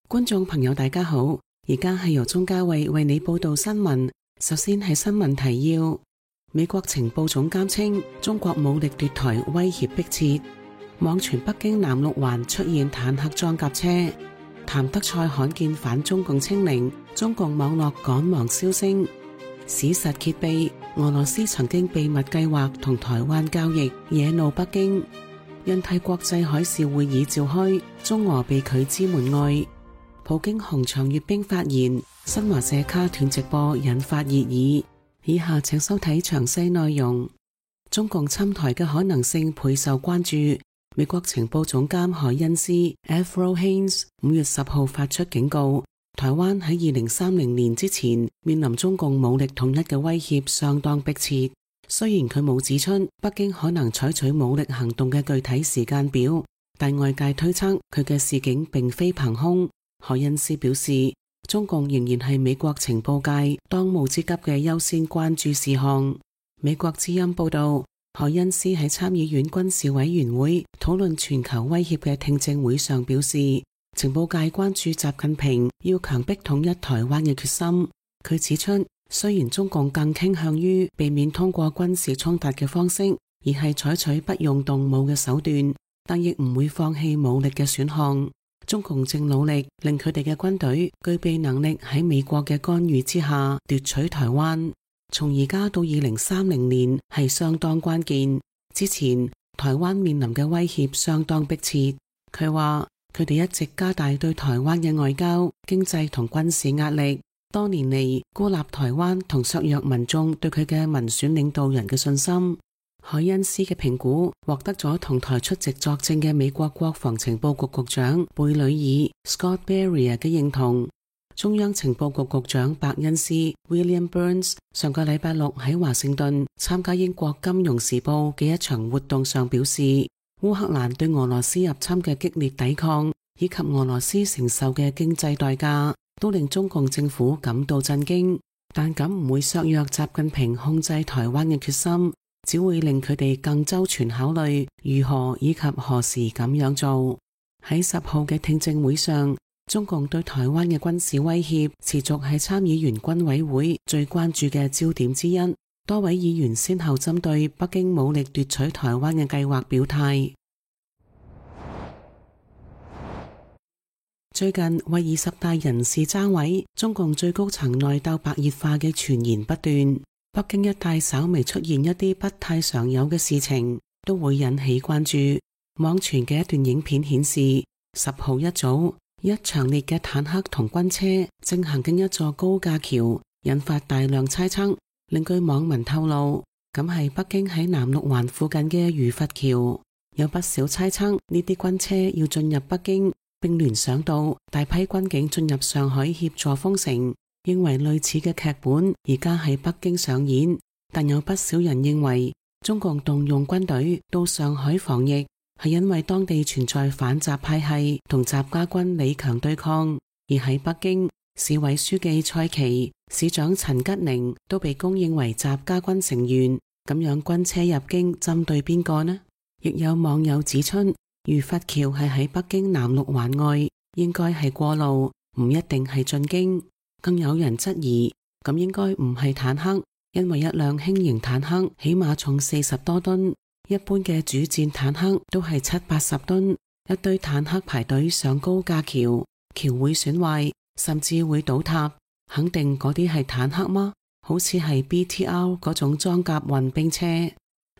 觀眾朋友大家好，而家係由鍾嘉慧為你報道新聞。首先係新聞提要：美國情報總監稱中國武力奪台威脅迫切，網傳北京南六環出現坦克裝甲車。譚德塞罕見反中共清零，中共網絡趕忙消聲。史實揭秘，俄羅斯曾經秘密計劃同台灣交易，惹怒北京。印太國際海事會議召開，中俄被拒之門外。普京紅場閱兵發言，新華社卡斷直播引發熱議。以下請收睇詳細內容。中共侵台嘅可能性倍受關注。美國情報總監海恩斯 Avril Haines 5月10號發出警告，台灣喺2030年之前面臨中共武力統一嘅威脅相當迫切。雖然佢冇指出北京可能採取武力行動嘅具體時間表，但外界推測佢嘅示警並非憑空。海恩斯表示，中共仍然係美國情報界當務之急嘅優先關注事項。美國之音報道，海恩斯喺參議院軍事委員會討論全球威脅嘅聽證會上表示，情報界關注習近平要強迫統一台灣嘅決心。佢指出，雖然中共更傾向於避免通過軍事衝突嘅方式，而係採取不用動武嘅手段，但亦唔會放棄武力嘅選項。中共正努力令佢哋嘅軍隊具備能力喺美國嘅干預之下奪取台灣。從而家到2030年係相當關鍵。之前台灣面臨嘅威脅相當迫切。佢話佢哋一直加大對台灣嘅外交、經濟同軍事壓力。多年嚟孤立台灣同削弱民眾對佢嘅民選領導人嘅信心。海恩斯嘅評估獲得咗同台出席作證嘅美國國防情報局局長貝里爾 Scott Berrier 嘅認同。中央情報局局長伯恩斯 William Burns 上個禮拜六喺華盛頓參加英國金融時報嘅一場活動上表示，烏克蘭對俄羅斯入侵嘅激烈抵抗以及俄羅斯承受嘅經濟代價都令中共政府感到震驚，但咁唔會削弱習近平控制台灣嘅決心，只會令佢哋更周全考慮如何以及何時咁樣做。喺10號嘅聽證會上，中共對台灣嘅軍事威脅持續係參議員軍委會最關注嘅焦點之一。多位議員先後針對北京武力奪取台灣嘅計劃表態。最近為20大人事爭位，中共最高層內鬥白熱化嘅傳言不斷。北京一帶稍微出現一啲不太常有嘅事情，都會引起關注。網傳嘅一段影片顯示，10號一早，一長列嘅坦克同軍車正行經一座高架橋，引發大量猜測。另據網民透露，咁係北京喺南六環附近嘅餘佛橋。有不少猜測呢啲軍車要進入北京，並聯想到大批軍警進入上海協助封城，認為類似嘅劇本而家喺北京上演。但有不少人認為，中共動用軍隊到上海防疫，係因為當地存在反習派系同習家軍李強對抗，而喺北京，市委書記蔡奇、市長陳吉寧都被公認為習家軍成員。咁樣軍車入京針對邊個呢？亦有網友指出，餘佛橋係喺北京南六環外，應該係過路，唔一定係進京。更有人質疑，咁應該唔係坦克，因為一輛輕型坦克起碼重40多噸。一般嘅主戰坦克都係70-80噸，一堆坦克排隊上高架橋，橋會損壞，甚至會倒塌。肯定嗰啲係坦克嗎？好似係 BTR 嗰種裝甲運兵車。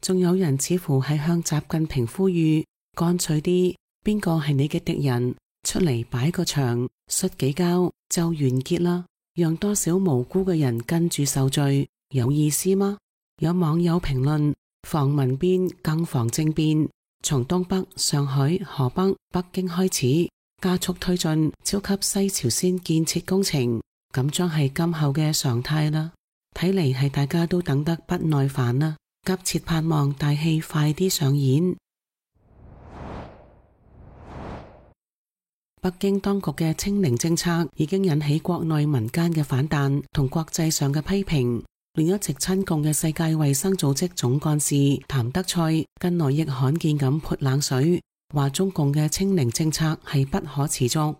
仲有人似乎係向習近平呼籲，乾脆啲，邊個係你嘅敵人，出嚟擺個場，摔幾跤就完結啦，讓多少無辜嘅人跟住受罪，有意思嗎？有網友評論，防民變更防政變，從東北、上海、河北、北京開始，加速推進超級西朝鮮建設工程，咁將係今後嘅常態啦。睇嚟係大家都等得不耐煩啦，急切盼望大戲快啲上演。北京當局嘅清零政策已經引起國內民間嘅反彈同國際上嘅批評。連一直親共嘅世界衛生組織總幹事譚德塞近來亦罕見咁潑冷水，話中共嘅清零政策係不可持續。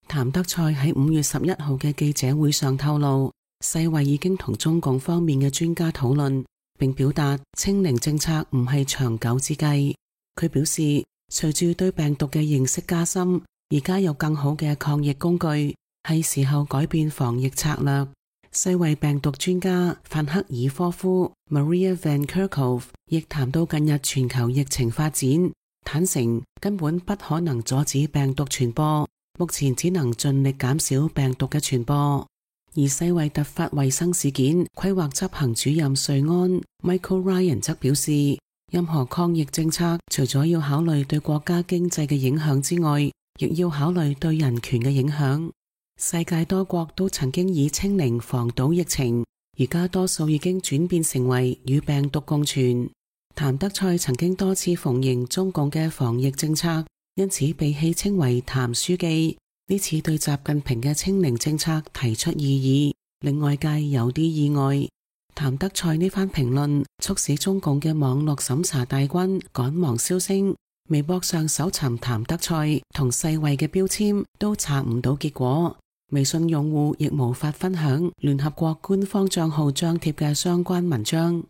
譚德塞喺5月11號嘅記者會上透露，世衛已經同中共方面嘅專家討論，並表達清零政策唔係長久之計。佢表示，隨住對病毒嘅認識加深，而家有更好嘅抗疫工具，係時候改變防疫策略。世衛病毒專家范克爾科夫 Maria Van Kerkhove 亦談到近日全球疫情發展，坦承根本不可能阻止病毒傳播，目前只能盡力減少病毒嘅傳播。而世衛突發衛生事件規劃執行主任瑞安 Michael Ryan 則表示，任何抗疫政策除咗要考慮對國家經濟嘅影響之外，亦要考慮對人權嘅影響。世界多國都曾經以清零防堵疫情，而家多數已經轉變成為與病毒共存。譚德塞曾經多次奉迎中共嘅防疫政策，因此被戲稱為譚書記。呢次對習近平嘅清零政策提出異議，令外界有啲意外。譚德塞呢番評論促使中共嘅網絡審查大軍趕忙銷聲，微博上搜尋譚德塞同世衛嘅標籤都查唔到結果。微信用戶亦無法分享聯合國官方賬號張貼嘅相關文章。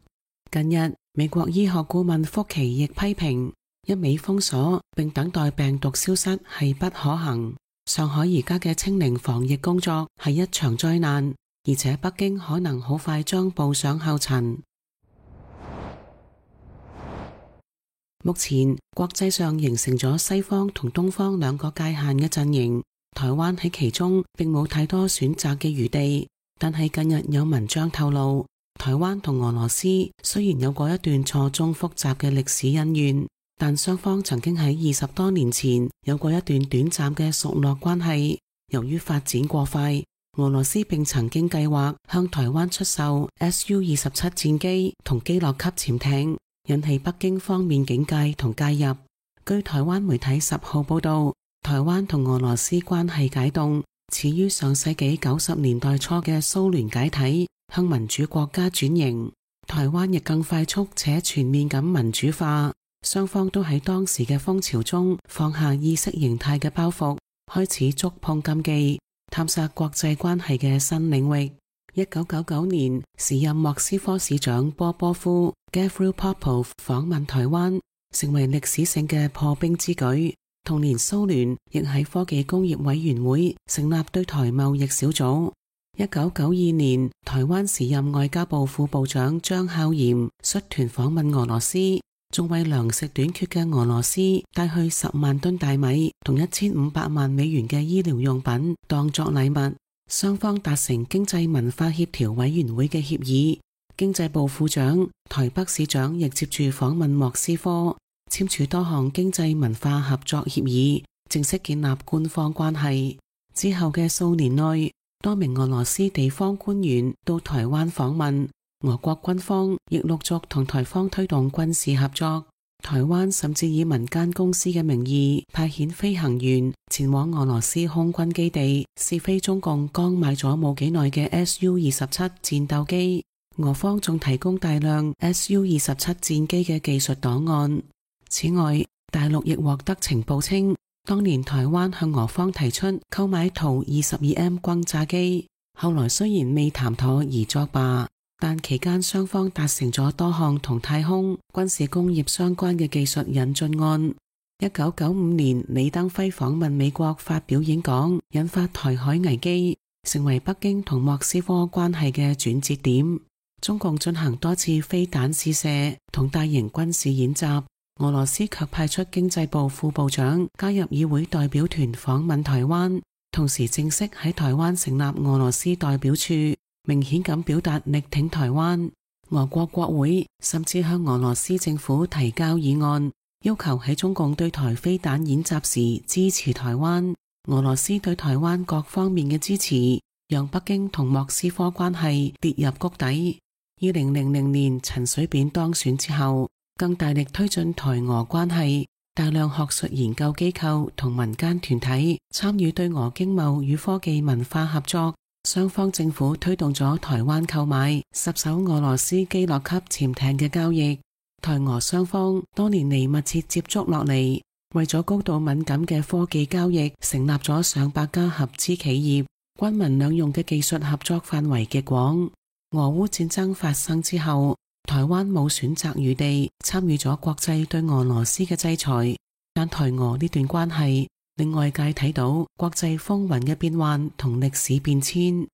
近日，美國醫學顧問福奇亦批評，一味封鎖並等待病毒消失係不可行。上海而家嘅清零防疫工作係一場災難，而且北京可能好快將步上後塵。目前國際上形成咗西方同東方兩個界限嘅陣營。台灣喺其中並冇太多選擇嘅餘地，但係近日有文章透露，台灣同俄羅斯雖然有過一段錯綜複雜嘅歷史恩怨，但雙方曾經喺20多年前有過一段短暫嘅熟絡關係。由於發展過快，俄羅斯並曾經計劃向台灣出售 Su-27戰機同基洛級潛艇，引起北京方面警戒同介入。據台灣媒體10號報道，台灣同俄羅斯關係解凍，始於上世紀90年代初嘅蘇聯解體，向民主國家轉型。台灣亦更快速且全面咁民主化，雙方都喺當時嘅風潮中放下意識形態嘅包袱，開始觸碰禁忌，探索國際關係嘅新領域。1999年，時任莫斯科市長波波夫 Gavril Popov 訪問台灣，成為歷史性嘅破冰之舉。同年，蘇聯亦喺科技工業委員會成立對台貿易小組。1992年，台灣時任外交部副部長張孝嚴率團訪問俄羅斯，仲為糧食短缺嘅俄羅斯帶去10萬噸大米同1500萬美元嘅醫療用品當作禮物。雙方達成經濟文化協調委員會嘅協議，經濟部副長、台北市長亦接住訪問莫斯科，簽署多項經濟文化合作協議，正式建立官方關係。之後嘅數年內，多名俄羅斯地方官員到台灣訪問，俄國軍方亦陸續同台方推動軍事合作。台灣甚至以民間公司嘅名義派遣飛行員前往俄羅斯空軍基地，試飛中共剛買咗冇幾耐嘅 Su-27戰鬥機。俄方仲提供大量 Su-27戰機嘅技術檔案。此外，大陸亦獲得情報稱，當年台灣向俄方提出購買圖 22M 轟炸機，後來雖然未談妥而作罷，但期間雙方達成咗多項同太空、軍事工業相關嘅技術引進案。1995年，李登輝訪問美國發表演講，引發台海危機，成為北京同莫斯科關係嘅轉折點。中共進行多次飛彈試射同大型軍事演習，俄羅斯卻派出經濟部副部長加入議會代表團訪問台灣，同時正式喺台灣成立俄羅斯代表處，明顯咁表達力挺台灣。俄國國會甚至向俄羅斯政府提交議案，要求喺中共對台飛彈演習時支持台灣。俄羅斯對台灣各方面嘅支持，讓北京同莫斯科關係跌入谷底。2000年陳水扁當選之後，更大力推進台俄關係，大量學術研究機構同民間團體參與對俄經貿與科技文化合作，雙方政府推動咗台灣購買10艘俄羅斯基洛級潛艇嘅交易。台俄雙方多年嚟密切接觸落嚟，為咗高度敏感嘅科技交易，成立咗上百家合資企業，軍民兩用嘅技術合作範圍極廣。俄烏戰爭發生之後，台灣冇選擇餘地，參與咗國際對俄羅斯嘅制裁。但台俄呢段關係令外界睇到國際風雲嘅變幻同歷史變遷。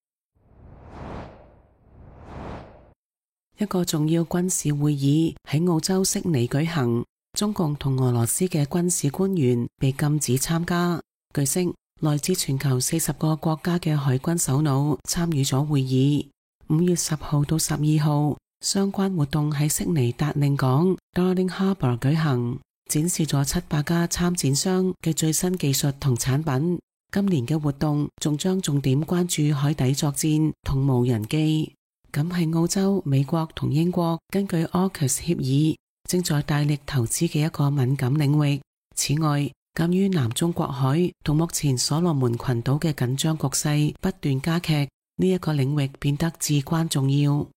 一個重要軍事會議喺澳洲悉尼舉行，中共同俄羅斯嘅軍事官員被禁止參加。據悉，來自全球40個國家嘅海軍首腦參與咗會議。5月10號到12號，相關活動喺悉尼達令港 Darling Harbour 舉行，展示咗700家參展商嘅最新技術同產品。今年嘅活動仲將重點關注海底作戰同無人機。咁係澳洲、美國同英國根據 AUKUS 協議正在大力投資嘅一個敏感領域。此外，鑒於南中國海同目前所羅門群島嘅緊張局勢不斷加劇，呢一個領域變得至關重要。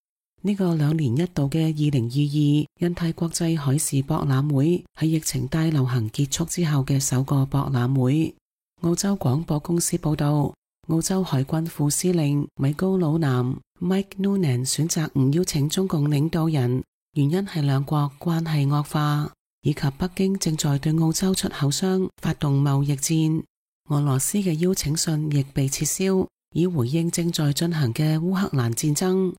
呢個2年一度嘅2022印太國際海事博覽會係疫情大流行結束之後嘅首個博覽會。澳洲廣播公司報道，澳洲海軍副司令米高魯南 Mike Noonan 選擇唔邀請中共領導人，原因係兩國關係惡化，以及北京正在對澳洲出口商發動貿易戰。俄羅斯嘅邀請信亦被撤銷，以回應正在進行嘅烏克蘭戰爭。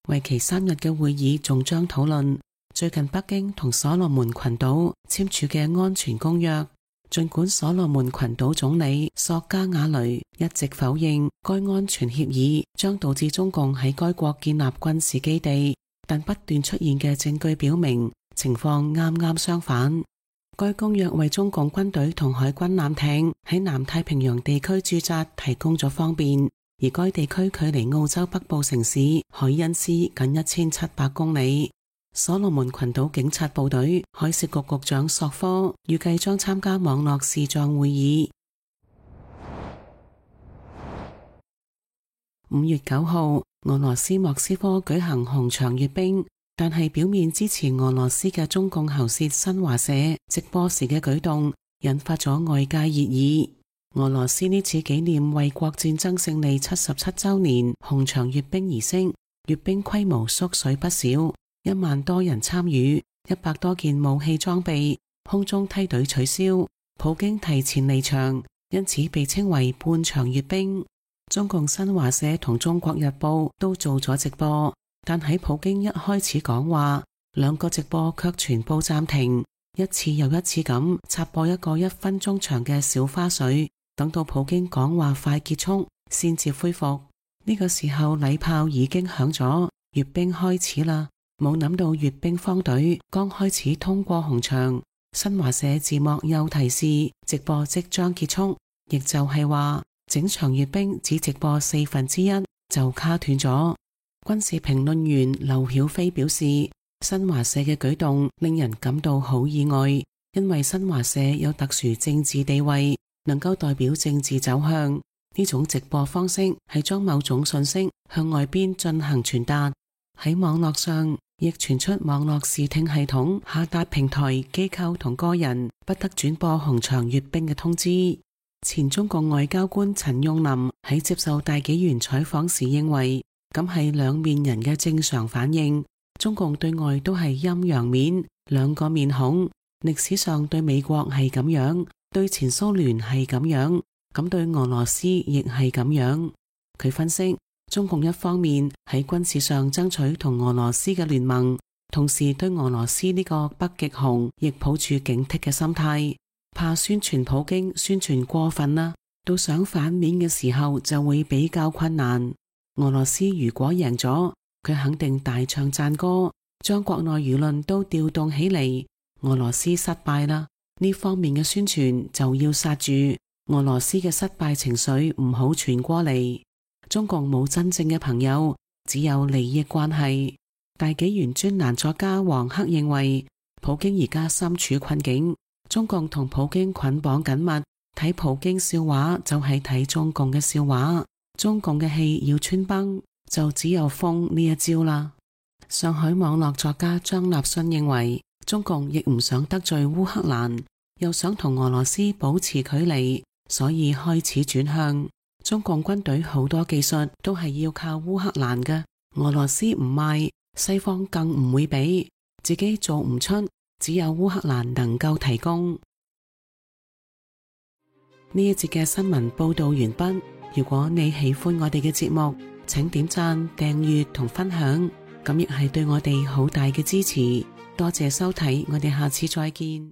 為期3日嘅會議仲將討論最近北京同所羅門群島簽署嘅安全公約。儘管所羅門群島總理索加瓦雷一直否認該安全協議將導致中共喺該國建立軍事基地，但不斷出現嘅證據表明情況啱啱相反。該公約為中共軍隊同海軍艦艇喺南太平洋地區駐紮提供咗方便，而該地區距離澳洲北部城市海恩斯僅1700公里。所羅門群島警察部隊海事局局長索科預計將參加網絡視像會議。5月9號，俄羅斯莫斯科舉行紅場閱兵，但係表面支持俄羅斯嘅中共喉舌新華社直播時嘅舉動引發咗外界熱議。俄羅斯呢次紀念衛國戰爭勝利77週年紅場閱兵儀式，閱兵規模縮水不少，1萬多人參與，100多件武器裝備，空中梯隊取消，普京提前離場，因此被稱為半場閱兵。中共新華社同中國日報都做咗直播，但喺普京一開始講話，2個直播卻全部暫停，一次又一次咁插播一個1分鐘長嘅小花絮，等到普京講話快結束先至恢復。呢個時候禮炮已經響咗，閱兵開始啦。冇諗到閱兵方隊剛開始通過紅場，新華社字幕又提示直播即將結束，亦就係話整場閱兵只直播1/4就卡斷咗。軍事評論員劉曉飛表示，新華社嘅舉動令人感到好意外，因為新華社有特殊政治地位，能夠代表政治走向。呢種直播方式係將某種信息向外邊進行傳達。喺網絡上亦傳出網絡視聽系統下達平台、機構同個人不得轉播紅場閱兵嘅通知。前中共外交官陳用林喺接受大紀元採訪時認為，咁係兩面人嘅正常反應。中共對外都係陰陽面，2個面孔。歷史上對美國係咁樣，對前蘇聯係咁樣，咁對俄羅斯亦係咁樣。佢分析，中共一方面喺軍事上爭取同俄羅斯嘅聯盟，同時對俄羅斯呢個北極熊亦抱住警惕嘅心態，怕宣傳普京宣傳過分啦，到想反面嘅時候就會比較困難。俄羅斯如果贏咗，佢肯定大唱讚歌，將國內輿論都調動起嚟。俄羅斯失敗啦，呢方面嘅宣傳就要剎住，俄羅斯嘅失敗情緒唔好傳過嚟。中共冇真正嘅朋友，只有利益關係。大紀元專欄作家黃克認為，普京而家身處困境，中共同普京捆綁緊密，睇普京笑話就係睇中共嘅笑話，中共嘅戲要穿崩，就只有封呢一招啦。上海網絡作家張立信認為，中共亦唔想得罪烏克蘭，又想同俄羅斯保持距離，所以開始轉向。中共軍隊好多技術都係要靠烏克蘭嘅，俄羅斯唔賣，西方更唔會俾，自己做唔出，只有烏克蘭能夠提供。呢一節嘅新聞報道完畢。如果你喜歡我哋嘅節目，請點讚、訂閱同分享，咁亦係對我哋好大嘅支持。多謝收睇，我哋下次再見。